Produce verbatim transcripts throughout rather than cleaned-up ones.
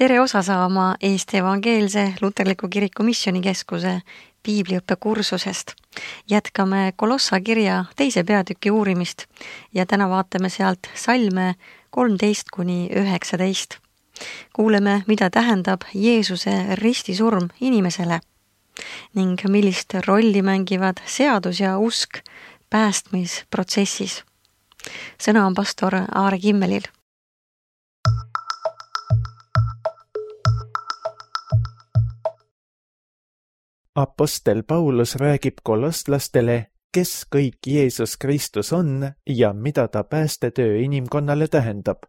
Tere osa saama Eesti Evangeelse Luterliku Kiriku Missioonikeskuse piibliõppe kursusest. Jätkame Kolossa kirja teise peatüki uurimist ja täna vaatame sealt salme kolmteist kuni üheksateist. Kuuleme, mida tähendab Jeesuse ristisurm inimesele ning millist rolli mängivad seadus ja usk päästmisprotsessis. Sõna on pastor Aare Kimmelil. Apostel Paulus räägib kolostlastele, kes kõik Jeesus Kristus on ja mida ta päästetöö inimkonnale tähendab.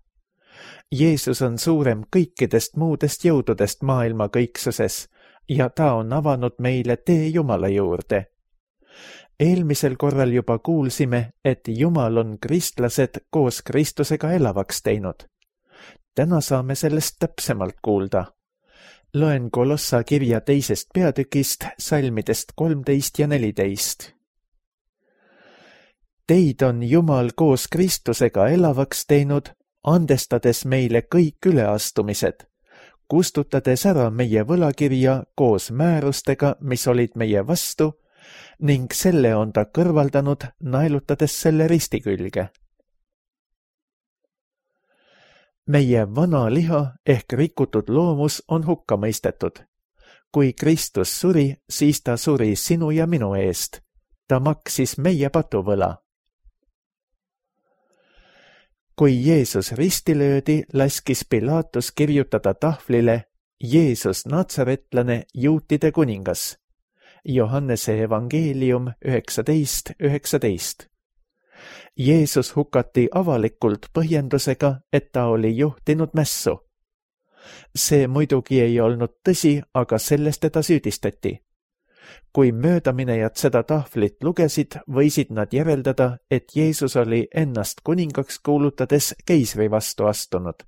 Jeesus on suurem kõikidest muudest jõududest maailma kõiksuses ja ta on avanud meile tee Jumala juurde. Eelmisel korral juba kuulsime, et Jumal on kristlased koos Kristusega elavaks teinud. Täna saame sellest täpsemalt kuulda. Loen Kolossa kirja teisest peatükist, salmidest kolmteist ja neliteist. Teid on Jumal koos Kristusega elavaks teinud, andestades meile kõik üleastumised, kustutades ära meie võlakirja koos määrustega, mis olid meie vastu, ning selle on ta kõrvaldanud, naelutades selle risti külge. Meie vana liha ehk rikutud loomus on hukka mõistetud. Kui Kristus suri, siis ta suri sinu ja minu eest. Ta maksis meie patuvõla. Kui Jeesus risti löödi, laskis Pilatus kirjutada tahvlile Jeesus Natsaretlane, juutide kuningas. Johannese evangeelium üheksateist üheksateist. Jeesus hukati avalikult põhjendusega, et ta oli juhtinud mässu. See muidugi ei olnud tõsi, aga sellest teda süüdistati. Kui möödaminejad seda tahvlit lugesid, võisid nad järeldada, et Jeesus oli ennast kuningaks kuulutades keisri vastu astunud.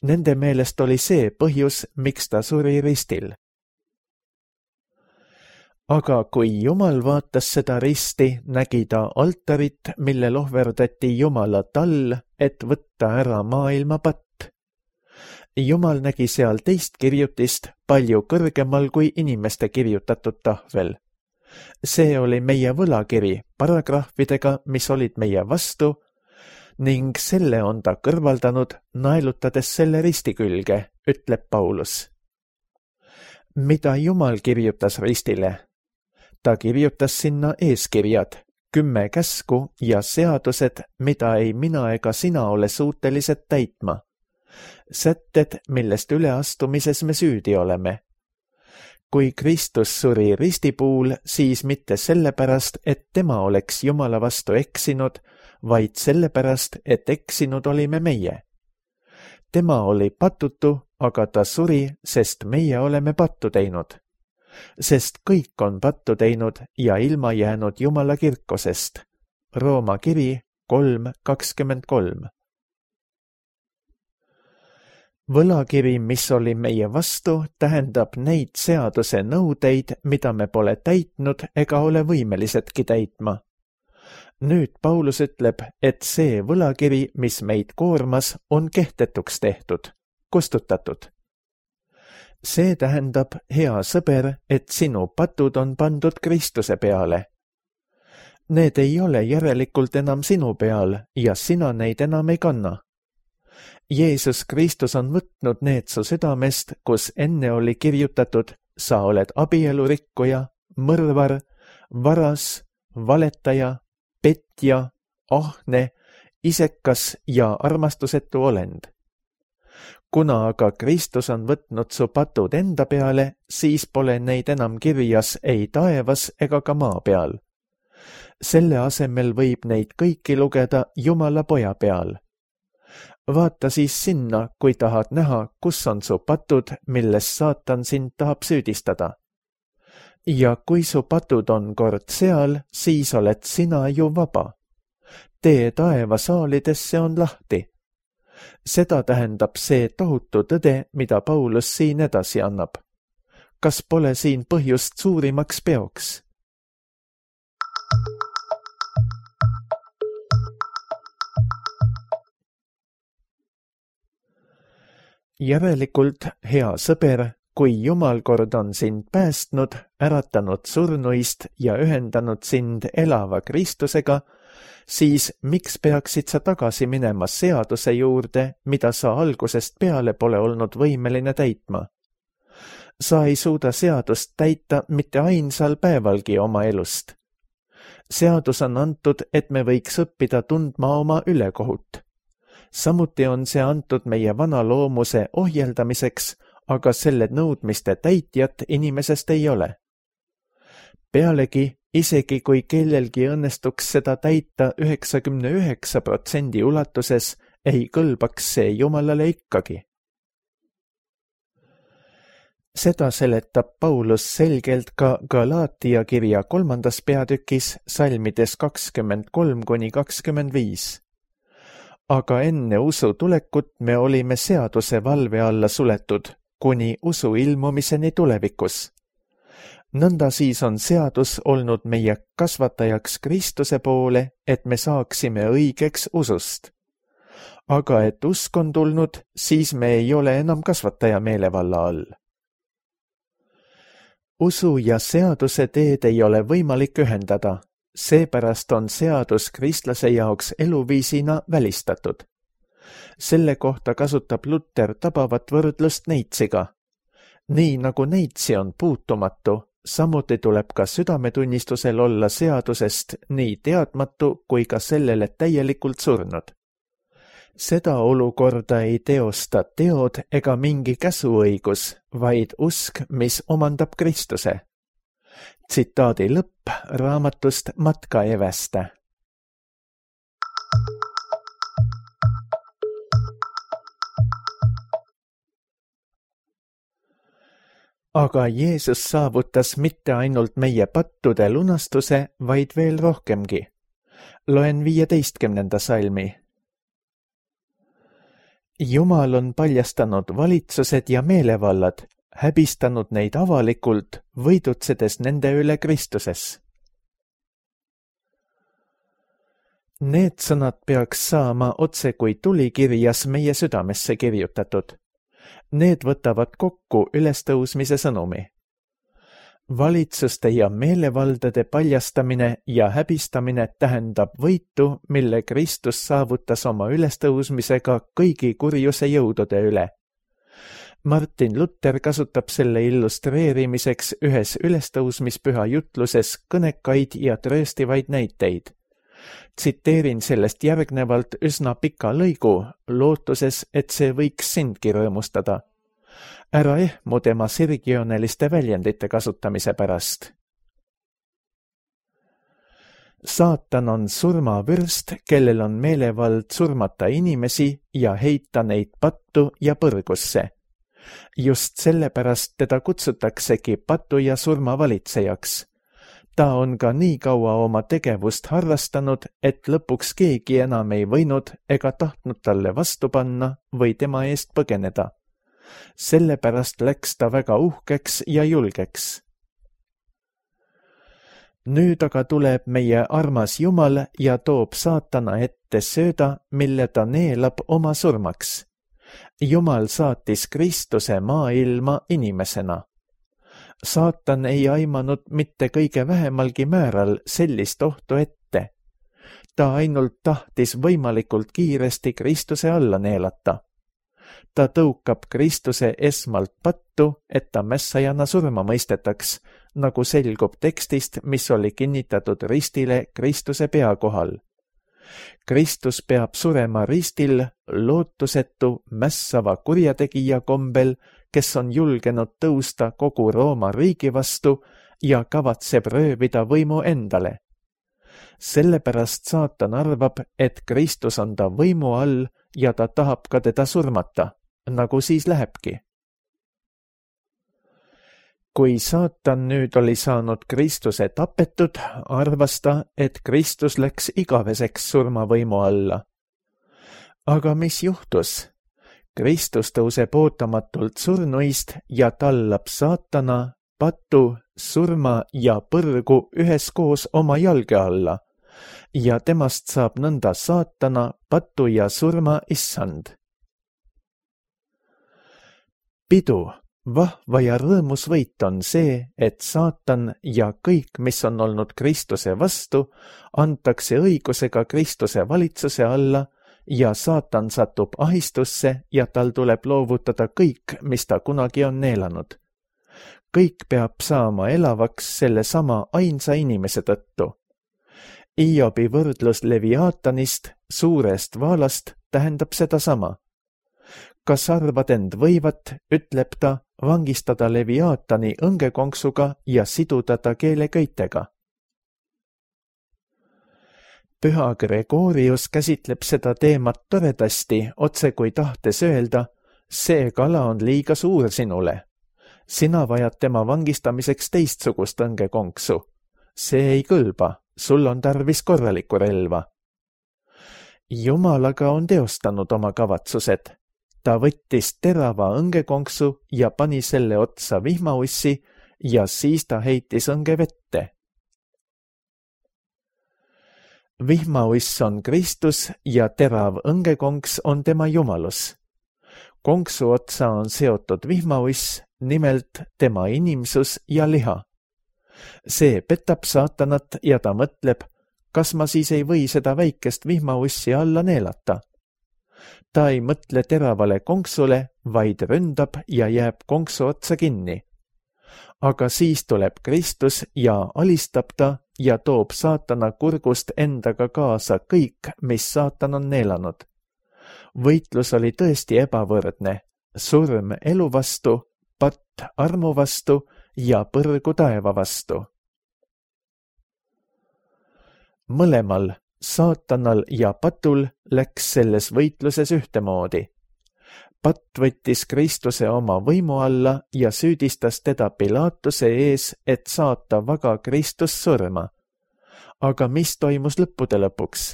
Nende meelest oli see põhjus, miks ta suri ristil. Aga kui Jumal vaatas seda risti, nägi ta altarit, mille ohverdati Jumala tall, et võtta ära maailma patt. Jumal nägi seal teist kirjutist palju kõrgemal kui inimeste kirjutatud tahvel. See oli meie võlakiri paragrahvidega, mis olid meie vastu, ning selle on ta kõrvaldanud, naelutades selle risti külge, ütleb Paulus. Mida Jumal kirjutas ristile? Ta kirjutas sinna eeskirjad, kümme käsku ja seadused, mida ei mina ega sina ole suutelised täitma. Sätted, millest üleastumises me süüdi oleme. Kui Kristus suri ristipuul, siis mitte sellepärast, et tema oleks Jumala vastu eksinud, vaid sellepärast, et eksinud olime meie. Tema oli patutu, aga ta suri, sest meie oleme pattu teinud. Sest kõik on pattu teinud ja ilma jäänud Jumala kirkosest. Rooma kiri kolm kakskümmend kolm. Võlakiri, mis oli meie vastu, tähendab neid seaduse nõudeid, mida me pole täitnud ega ole võimelisedki täitma. Nüüd Paulus ütleb, et see võlakiri, mis meid koormas, on kehtetuks tehtud, kustutatud. See tähendab, hea sõber, et sinu patud on pandud Kristuse peale. Need ei ole järelikult enam sinu peal ja sina neid enam ei kanna. Jeesus Kristus on võtnud need su südamest, kus enne oli kirjutatud, sa oled abielurikkuja, mõrvar, varas, valetaja, petja, ahne, isekas ja armastusetu olend. Kuna aga Kristus on võtnud su patud enda peale, siis pole neid enam kirjas ei taevas ega ka maa peal. Selle asemel võib neid kõiki lugeda Jumala poja peal. Vaata siis sinna, kui tahad näha, kus on su patud, milles saatan sind tahab süüdistada. Ja kui su patud on kord seal, siis oled sina ju vaba. Tee taevasaalidesse on lahti. Seda tähendab see tohutu tõde, mida Paulus siin edasi annab. Kas pole siin põhjust suurimaks peoks? Järelikult, hea sõber, kui Jumal kord on sind päästnud, äratanud surnuist ja ühendanud sind elava Kristusega, siis miks peaksid sa tagasi minema seaduse juurde, mida sa algusest peale pole olnud võimeline täitma? Sa ei suuda seadust täita mitte ainsal päevalgi oma elust. Seadus on antud, et me võiks õppida tundma oma ülekohut. Samuti on see antud meie vana loomuse ohjeldamiseks, aga selle nõudmiste täitjat inimesest ei ole. Pealegi, isegi kui kellelgi õnnestuks seda täita üheksakümne üheksa protsendi ulatuses, ei kõlbaks see Jumalale ikkagi. Seda seletab Paulus selgelt ka Galaatia kirja kolmandas peatükis salmides kakskümmend kolm kuni kakskümmend viis. Aga enne usu tulekut me olime seaduse valve alla suletud, kuni usu ilmumiseni tulevikus. Nõnda siis on seadus olnud meie kasvatajaks Kristuse poole, et me saaksime õigeks usust. Aga et usk on tulnud, siis me ei ole enam kasvataja meelevalla all. Usu ja seaduse teed ei ole võimalik ühendada, seepärast on seadus kristlase jaoks eluviisina välistatud. Selle kohta kasutab Luther tabavat võrdlust neitsiga. Nii nagu neitsi on puutumatu, samuti tuleb ka südametunnistusel olla seadusest nii teadmatu kui ka sellele täielikult surnud. Seda olukorda ei teosta teod ega mingi käsuõigus, vaid usk, mis omandab Kristuse. Tsitaadi lõpp raamatust Matka eväste. Aga Jeesus saavutas mitte ainult meie pattude lunastuse, vaid veel rohkemgi. Loen viieteistkümnenda salmi. Jumal on paljastanud valitsused ja meelevallad, häbistanud neid avalikult, võidutsedes nende üle Kristuses. Need sõnad peaks saama otse kui tulikirjas meie südamesse kirjutatud. Need võtavad kokku ülestõusmise sõnumi. Valitsuste ja meelevaldade paljastamine ja häbistamine tähendab võitu, mille Kristus saavutas oma ülestõusmisega kõigi kurjuse jõudude üle. Martin Luther kasutab selle illustreerimiseks ühes ülestõusmispüha jutluses kõnekaid ja trööstivaid näiteid. Tsiteerin sellest järgnevalt üsna pika lõigu, lootuses, et see võiks sindki rõõmustada. Ära ehmu tema sirgjooneliste väljendite kasutamise pärast. Saatan on surmavürst, kellel on meelevald surmata inimesi ja heita neid pattu ja põrgusse. Just sellepärast teda kutsutaksegi patu ja surma valitsejaks. Ta on ka nii kaua oma tegevust harrastanud, et lõpuks keegi enam ei võinud ega tahtnud talle vastu panna või tema eest põgeneda. Sellepärast läks ta väga uhkeks ja julgeks. Nüüd aga tuleb meie armas Jumal ja toob saatana ette sööda, mille ta neelab oma surmaks. Jumal saatis Kristuse maailma inimesena. Saatan ei aimanud mitte kõige vähemalgi määral sellist ohtu ette. Ta ainult tahtis võimalikult kiiresti Kristuse alla neelata. Ta tõukab Kristuse esmalt pattu, et ta mässajana surma mõistetaks, nagu selgub tekstist, mis oli kinnitatud ristile Kristuse pea kohal. Kristus peab surema ristil lootusetu mässava kurjategija kombel, kes on julgenud tõusta kogu Rooma riigi vastu ja kavatseb röövida võimu endale. Sellepärast saatan arvab, et Kristus on ta võimu all ja ta tahab ka teda surmata, nagu siis lähebki. Kui saatan nüüd oli saanud Kristuse tapetud, arvas ta, et Kristus läks igaveseks surmavõimu alla. Aga mis juhtus? Kristus tõuseb ootamatult surnuist ja tallab saatana, patu, surma ja põrgu üheskoos oma jalge alla ja temast saab nõnda saatana, patu ja surma issand. pidu, vahva ja rõõmus võit on see, et saatan ja kõik, mis on olnud Kristuse vastu, antakse õigusega Kristuse valitsuse alla ja saatan satub ahistusse ja tal tuleb loovutada kõik, mis ta kunagi on neelanud. Kõik peab saama elavaks selle sama ainsa inimese tõttu. Iobi võrdlus Leviaatanist, suurest vaalast, tähendab seda sama. Kas arvad end võivat, ütleb ta, vangistada Leviaatani õngekonksuga ja siduda ta keeleköitega? Püha Gregorius käsitleb seda teemat toredasti, otse kui tahtes öelda, see kala on liiga suur sinule. Sina vajad tema vangistamiseks teistsugust õngekonksu. See ei kõlba, sul on tarvis korralikku relva. Jumalaga on teostanud oma kavatsused. Ta võttis terava õngekonksu ja pani selle otsa vihmaussi ja siis ta heitis õnge vette. Vihmauss on Kristus ja terav õngekonks on tema jumalus. Konksu otsa on seotud vihmauss, nimelt tema inimsus ja liha. See petab saatanat ja ta mõtleb, kas ma siis ei või seda väikest vihmaussi alla neelata. Ta ei mõtle teravale konksule, vaid ründab ja jääb konksu otsa kinni. Aga siis tuleb Kristus ja alistab ta ja toob saatana kurgust endaga kaasa kõik, mis saatan on neelanud. Võitlus oli tõesti ebavõrdne, surm elu vastu, patt armu vastu ja põrgu taeva vastu. Mõlemal, saatanal ja patul, läks selles võitluses ühtemoodi. Patt võttis Kristuse oma võimu alla ja süüdistas teda Pilaatuse ees, et saata vaga Kristus surma. Aga mis toimus lõppude lõpuks?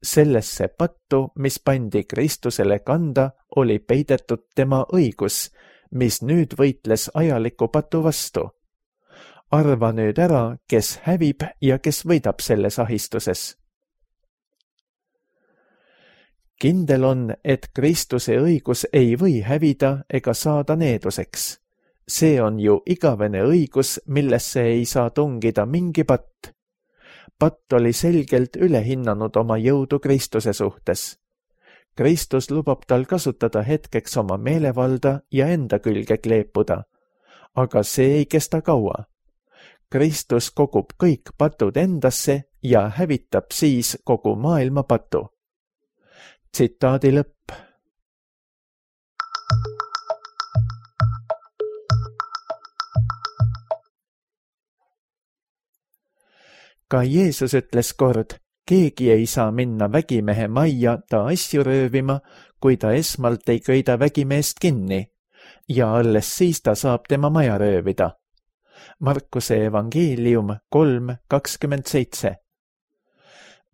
Sellesse pattu, mis pandi Kristusele kanda, oli peidetud tema õigus, mis nüüd võitles ajaliku patu vastu. Arva nüüd ära, kes hävib ja kes võidab selles ahistuses. Kindel on, et Kristuse õigus ei või hävida ega saada needuseks. See on ju igavene õigus, millesse ei saa tungida mingi patt. Patt oli selgelt üle hinnanud oma jõudu Kristuse suhtes. Kristus lubab tal kasutada hetkeks oma meelevalda ja enda külge kleepuda. Aga see ei kesta kaua. Kristus kogub kõik patud endasse ja hävitab siis kogu maailma patu. Tsitaadi lõpp. Ka Jeesus ütles kord, keegi ei saa minna vägimehe majja ta asju röövima, kui ta esmalt ei köida vägimeest kinni, ja alles siis ta saab tema maja röövida. Markuse evangeelium kolm kakskümmend seitse.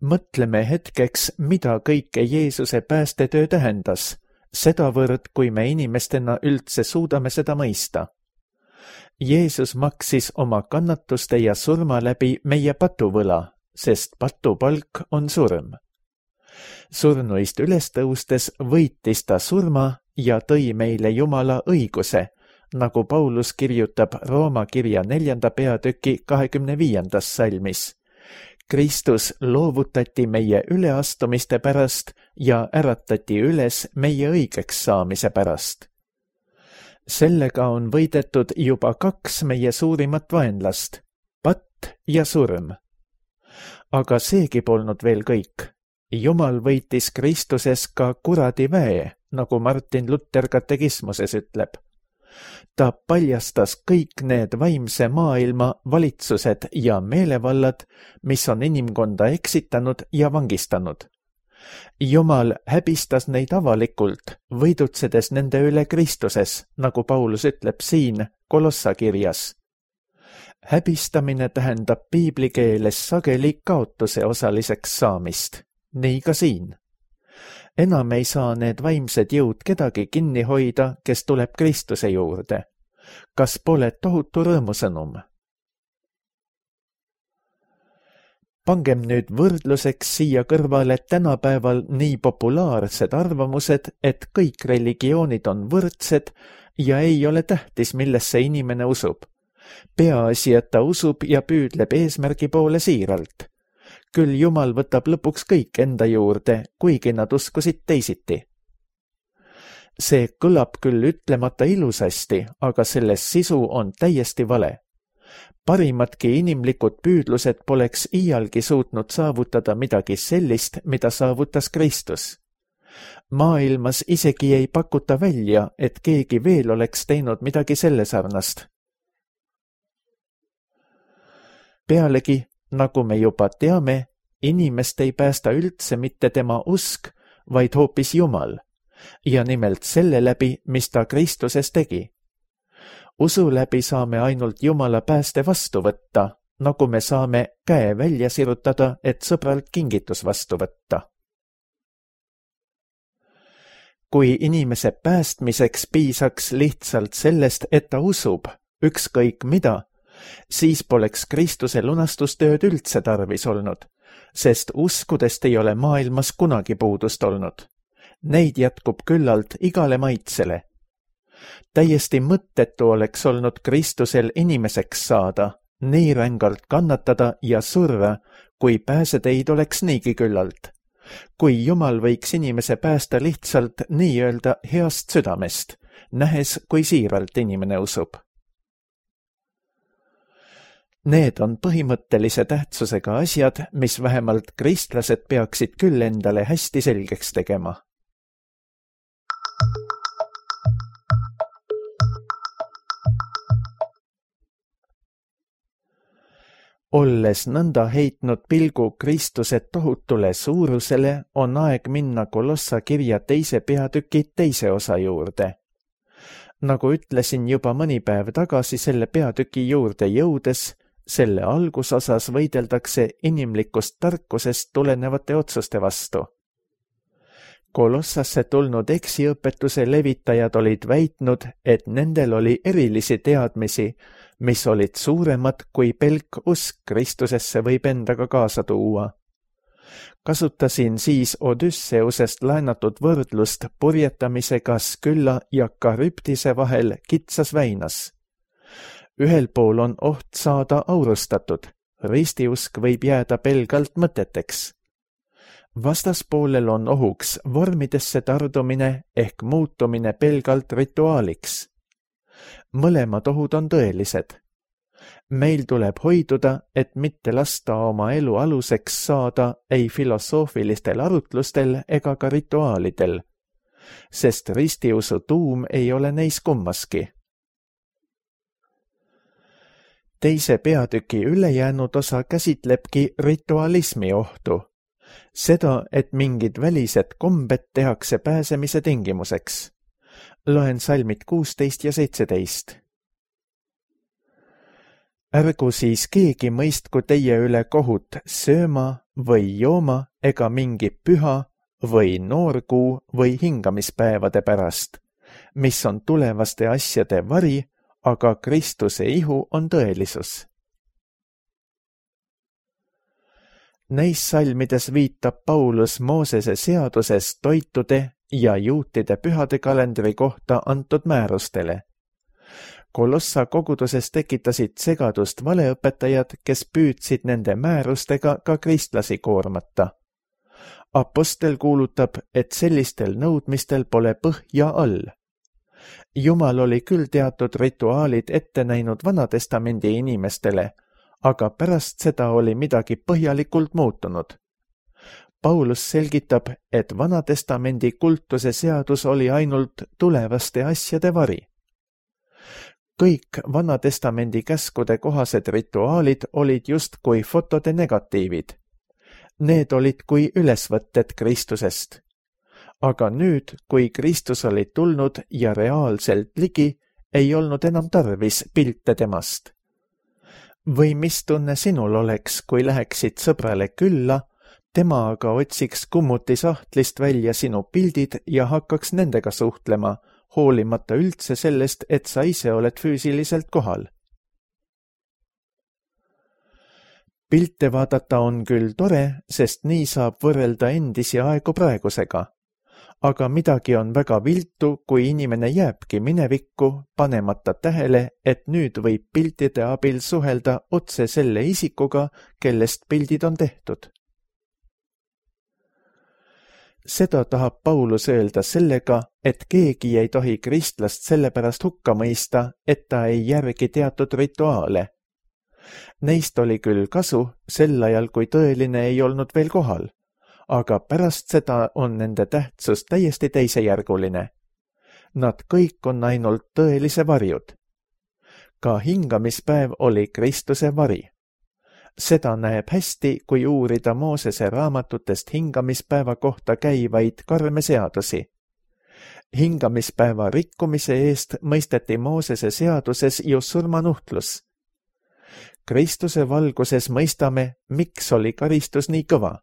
Mõtleme hetkeks, mida kõike Jeesuse päästetöö tähendas, sedavõrd, kui me inimestena üldse suudame seda mõista. Jeesus maksis oma kannatuste ja surma läbi meie patuvõla, sest patupalk on surm. Surnuist üles tõustes võitis ta surma ja tõi meile Jumala õiguse, nagu Paulus kirjutab Rooma kirja neljanda peatüki kahekümne viiendas salmis. Kristus loovutati meie üleastumiste pärast ja äratati üles meie õigeks saamise pärast. Sellega on võidetud juba kaks meie suurimat vaenlast, patt ja surm. Aga seegi polnud veel kõik. Jumal võitis Kristuses ka kuradi väe, nagu Martin Luther katekismuses ütleb. Ta paljastas kõik need vaimse maailma valitsused ja meelevallad, mis on inimkonda eksitanud ja vangistanud. Jumal häbistas neid avalikult, võidutsedes nende üle Kristuses, nagu Paulus ütleb siin Kolossa kirjas. Häbistamine tähendab piibli keeles sageli kaotuse osaliseks saamist, nii ka siin. Enam ei saa need vaimsed jõud kedagi kinni hoida, kes tuleb Kristuse juurde. Kas pole tohutu rõõmusõnum? Pangem nüüd võrdluseks siia kõrvale tänapäeval nii populaarsed arvamused, et kõik religioonid on võrdsed ja ei ole tähtis, millesse inimene usub. Peaasi, et ta usub ja püüdleb eesmärgi poole siiralt. Küll Jumal võtab lõpuks kõik enda juurde, kuigi nad uskusid teisiti. See kõlab küll ütlemata ilusasti, aga selles sisu on täiesti vale. Parimadki inimlikud püüdlused poleks iialgi suutnud saavutada midagi sellist, mida saavutas Kristus. Maailmas isegi ei pakuta välja, et keegi veel oleks teinud midagi selle sarnast. Pealegi, nagu me juba teame, inimest ei päästa üldse mitte tema usk, vaid hoopis Jumal, ja nimelt selle läbi, mis ta Kristuses tegi. Usu läbi saame ainult Jumala pääste vastu võtta, nagu me saame käe välja sirutada, et sõbralt kingitus vastu võtta. Kui inimese päästmiseks piisaks lihtsalt sellest, et ta usub, ükskõik mida, siis poleks Kristuse lunastustööd üldse tarvis olnud, sest uskudest ei ole maailmas kunagi puudust olnud. Neid jätkub küllalt igale maitsele. Täiesti mõttetu oleks olnud Kristusel inimeseks saada, nii rängalt kannatada ja surra, kui pääseteid oleks niigi küllalt. Kui Jumal võiks inimese päästa lihtsalt nii-öelda heast südamest, nähes, kui siiralt inimene usub. Need on põhimõttelise tähtsusega asjad, mis vähemalt kristlased peaksid küll endale hästi selgeks tegema. Olles nõnda heitnud pilgu Kristuse tohutule suurusele, on aeg minna Kolossa kirja teise peatüki teise osa juurde. Nagu ütlesin juba mõni päev tagasi selle peatüki juurde jõudes, selle algusosas võideldakse inimlikust tarkusest tulenevate otsuste vastu. Kolossasse tulnud eksiõpetuse levitajad olid väitnud, et nendel oli erilisi teadmisi, mis olid suuremad kui pelk usk Kristusesse võib endaga kaasa tuua. Kasutasin siis Odysseusest laenatud võrdlust purjetamisega Skylla ja Charybdise vahel kitsas väinas. Ühel pool on oht saada aurustatud, ristiusk võib jääda pelgalt mõteteks. Vastaspoolel on ohuks vormidesse tardumine ehk muutumine pelgalt rituaaliks. Mõlemad ohud on tõelised. Meil tuleb hoiduda, et mitte lasta oma elu aluseks saada ei filosoofilistel arutlustel ega ka rituaalidel, sest ristiusu tuum ei ole neis kummaski. Teise peatüki ülejäänud osa käsitlebki ritualismi ohtu. Seda, et mingid välised kombed tehakse pääsemise tingimuseks. Loen salmid kuusteist ja seitseteist. Ärgu siis keegi mõistku teie üle kohut sööma või jooma ega mingi püha või noorkuu või hingamispäevade pärast, mis on tulevaste asjade vari, aga Kristuse ihu on tõelisus. Neis salmides viitab Paulus Moosese seaduses toitude ja juutide pühade kalendri kohta antud määrustele. Kolossa koguduses tekitasid segadust valeõpetajad, kes püüdsid nende määrustega ka kristlasi koormata. Apostel kuulutab, et sellistel nõudmistel pole põhja all. Jumal oli küll teatud rituaalid ette näinud Vanatestamendi inimestele, aga pärast seda oli midagi põhjalikult muutunud. Paulus selgitab, et Vanatestamendi kultuse seadus oli ainult tulevaste asjade vari. Kõik Vanatestamendi käskude kohased rituaalid olid just kui fotode negatiivid. Need olid kui ülesvõtted Kristusest. Aga nüüd, kui Kristus oli tulnud ja reaalselt ligi, ei olnud enam tarvis pilte temast. Või mis tunne sinul oleks, kui läheksid sõbrale külla, tema aga otsiks kummuti sahtlist välja sinu pildid ja hakkaks nendega suhtlema, hoolimata üldse sellest, et sa ise oled füüsiliselt kohal. Pilte vaadata on küll tore, sest nii saab võrrelda endisi aegu praegusega. aga midagi on väga viltu, kui inimene jääbki minevikku, panemata tähele, et nüüd võib piltide abil suhelda otse selle isikuga, kellest pildid on tehtud. Seda tahab Paulus öelda sellega, et keegi ei tohi kristlast sellepärast hukka mõista, et ta ei järgi teatud rituaale. Neist oli küll kasu sel ajal, kui tõeline ei olnud veel kohal, aga pärast seda on nende tähtsus täiesti teisejärguline. Nad kõik on ainult tõelise varjud. Ka hingamispäev oli Kristuse vari. Seda näeb hästi, kui uurida Moosese raamatutest hingamispäeva kohta käivaid karme seadusi. Hingamispäeva rikkumise eest mõisteti Moosese seaduses ju surmanuhtlus. Kristuse valguses mõistame, miks oli karistus nii kõva.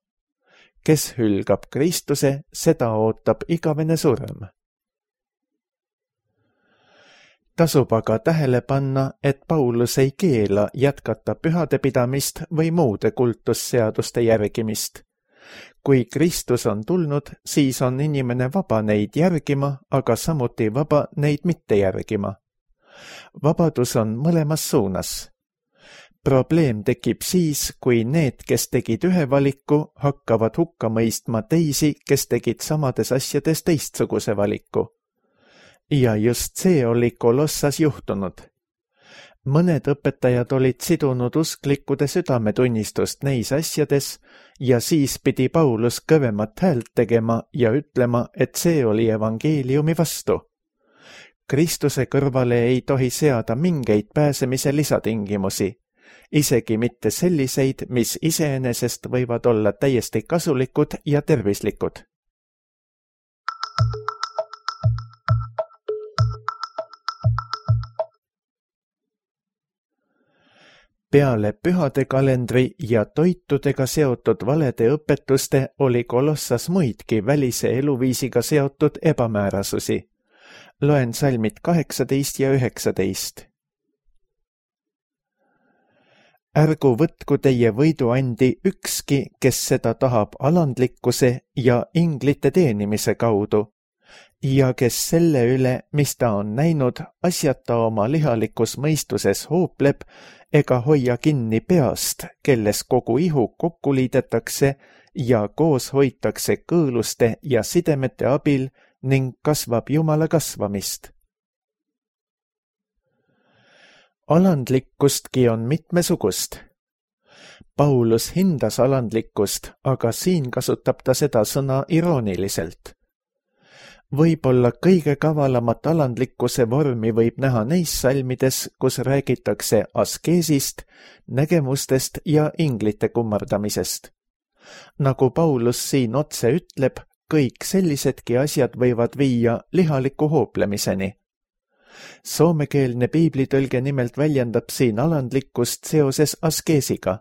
Kes hülgab Kristuse, seda ootab igavene surm. Tasub aga tähele panna, et Paulus ei keela jätkata pühade pidamist või muude kultusseaduste järgimist. Kui Kristus on tulnud, siis on inimene vaba neid järgima, aga samuti vaba neid mitte järgima. Vabadus on mõlemas suunas. Probleem tekib siis, kui need, kes tegid ühe valiku, hakkavad hukka mõistma teisi, kes tegid samades asjades teistsuguse valiku. Ja just see oli Kolossas juhtunud. Mõned õpetajad olid sidunud usklikkude südametunnistust neis asjades ja siis pidi Paulus kõvemat häält tegema ja ütlema, et see oli evangeeliumi vastu. Kristuse kõrvale ei tohi seada mingeid pääsemise lisatingimusi. Isegi mitte selliseid, mis iseenesest võivad olla täiesti kasulikud ja tervislikud. Peale pühade kalendri ja toitudega seotud valede õpetuste oli Kolossas muidki välise eluviisiga seotud ebamäärasusi. Loen salmid kaheksateist ja üheksateist. Ärgu võtku teie võiduandi ükski, kes seda tahab alandlikkuse ja inglite teenimise kaudu, ja kes selle üle, mis ta on näinud, asjata oma lihalikus mõistuses hoopleb ega hoia kinni peast, kelles kogu ihu kokku liidetakse ja koos hoitakse kõõluste ja sidemete abil ning kasvab Jumala kasvamist. Alandlikkustki on mitmesugust. Paulus hindas alandlikkust, aga siin kasutab ta seda sõna irooniliselt. Võib-olla kõige kavalamat alandlikkuse vormi võib näha neis salmides, kus räägitakse askeesist, nägemustest ja inglite kummardamisest. Nagu Paulus siin otse ütleb, kõik sellisedki asjad võivad viia lihaliku hooplemiseni. Soomekeelne piiblitõlge nimelt väljendab siin alandlikkust seoses askeesiga.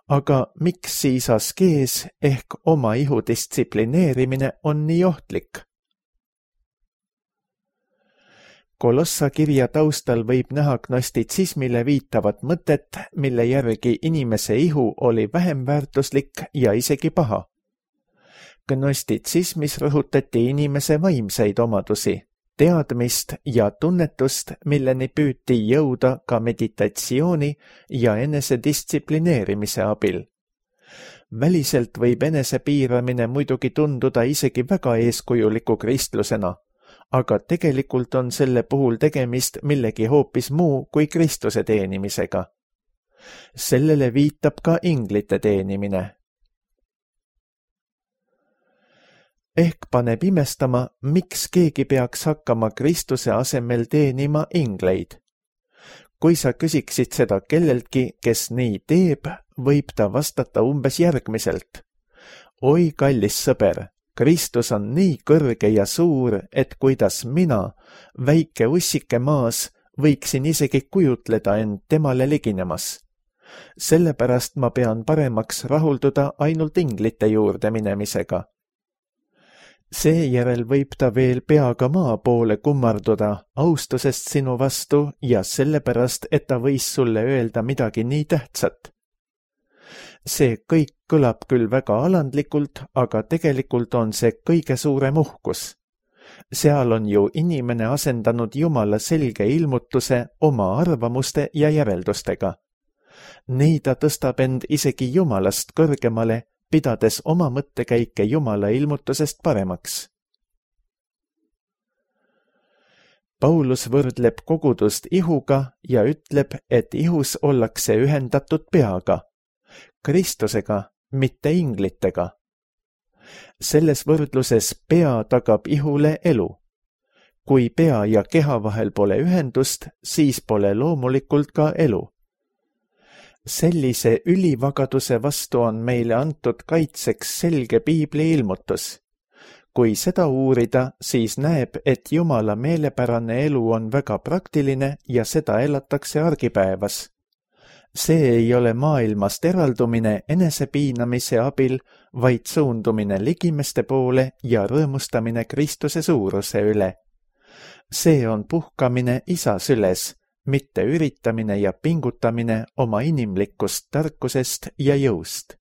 Aga miks siis askees ehk oma ihu distsiplineerimine on nii ohtlik? Kolossa kirja taustal võib näha gnostitsismile viitavat mõtet, mille järgi inimese ihu oli vähem väärtuslik ja isegi paha. Gnostitsismis rõhutati inimese vaimseid omadusi, teadmist ja tunnetust, milleni püüti jõuda ka meditatsiooni ja enesedistsiplineerimise abil. Väliselt võib enesepiiramine muidugi tunduda isegi väga eeskujuliku kristlusena, aga tegelikult on selle puhul tegemist millegi hoopis muu kui Kristuse teenimisega. Sellele viitab ka inglite teenimine. Ehk paneb imestama, miks keegi peaks hakkama Kristuse asemel teenima ingleid. Kui sa küsiksid seda kelleltki, kes nii teeb, võib ta vastata umbes järgmiselt. Oi, kallis sõber, Kristus on nii kõrge ja suur, et kuidas mina, väike ussike maas, võiksin isegi kujutleda end temale liginemas. Sellepärast ma pean paremaks rahulduda ainult inglite juurde minemisega. Seejärel võib ta veel peaga maa poole kummarduda austusest sinu vastu ja sellepärast, et ta võis sulle öelda midagi nii tähtsat. See kõik kõlab küll väga alandlikult, aga tegelikult on see kõige suurem uhkus. Seal on ju inimene asendanud Jumala selge ilmutuse oma arvamuste ja järeldustega. Nii ta tõstab end isegi Jumalast kõrgemale, pidades oma mõttekäike Jumala ilmutusest paremaks. Paulus võrdleb kogudust ihuga ja ütleb, et ihus ollakse ühendatud peaga, Kristusega, mitte inglitega. Selles võrdluses pea tagab ihule elu. Kui pea ja keha vahel pole ühendust, siis pole loomulikult ka elu. Sellise ülivagaduse vastu on meile antud kaitseks selge piibli ilmutus. Kui seda uurida, siis näeb, et Jumala meelepärane elu on väga praktiline ja seda elatakse argipäevas. See ei ole maailmast eraldumine enesepiinamise abil, vaid suundumine ligimeste poole ja rõõmustamine Kristuse suuruse üle. See on puhkamine isa süles, mitte üritamine ja pingutamine oma inimlikust tarkusest ja jõust.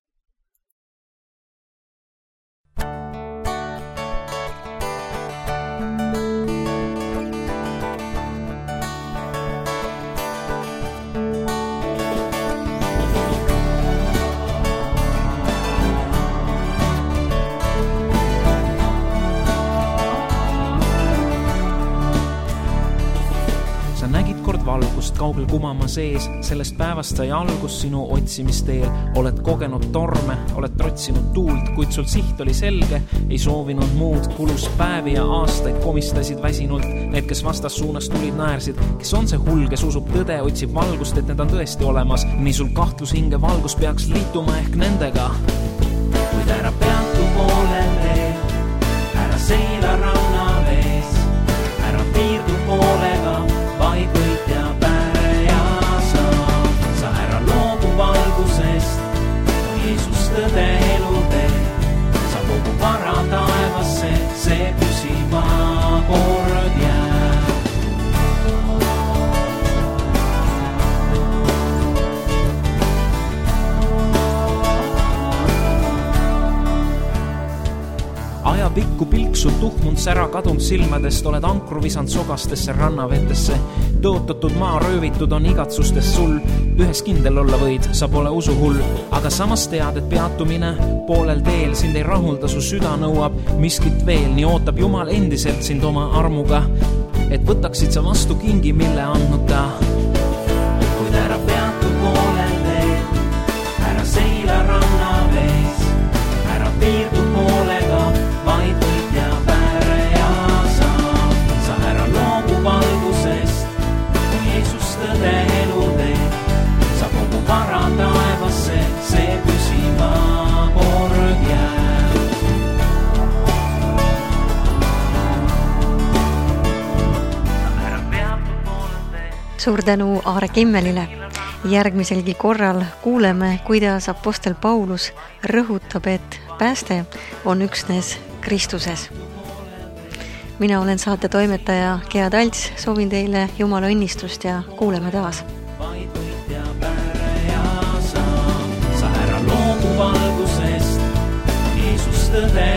Valgust kaugel kumama sees, sellest päevast sai algus sinu otsimisteel. Oled kogenud torme, oled trotsinud tuult, kuid sul siht oli selge, ei soovinud muud. Kulus päevi ja aastaid komistasid väsinult. Need, kes vastas suunas tulid, naersid. Kes on see hull, kes usub tõde, otsib valgust, et need on tõesti olemas. Nii sul kahtlus hinge valgus peaks liituma ehk nendega. Kuid ära peatu poolel teel, ära seila rauna vees, ära piirdu poolega, vaid võit ja päre ja sa. Sa ära loobu valgusest, kui Jeesus tõde elu teeb. Sa kogu vara taevasse, see püsima kord jääb. Ajapikku pilksul tuhmund sära kadunud silmadest, oled ankru visand sogastesse rannavetesse. Tõotatud maa röövitud on igatsustest sul, ühes kindel olla võid, sa pole usuhull. Aga samas tead, et peatumine poolel teel sind ei rahulda, su süda nõuab miskit veel. Nii ootab Jumal endiselt sind oma armuga, et võtaksid sa vastu kingi, mille andnud ta. Kuid ära peatu poolel teel, ära seila ranna vees, ära piirdu poolega, vaid võit ja päre ja sa. Sa ära loobu valgusest, kui Jeesus tõde elu teeb. Sa kogu vara taevasse, see püsima kord jääb. Ära peatu poolel teel. Suur tänu Aare Kimmelile. Järgmiselgi korral kuuleme, kuidas apostel Paulus rõhutab, et pääste on üksnes Kristuses. Mina olen saate toimetaja Gea Talts, soovin teile Jumala õnnistust ja kuuleme taas. Vaid võit ja päre ja sa. Sa ära loobu valgusest, Jeesus tõde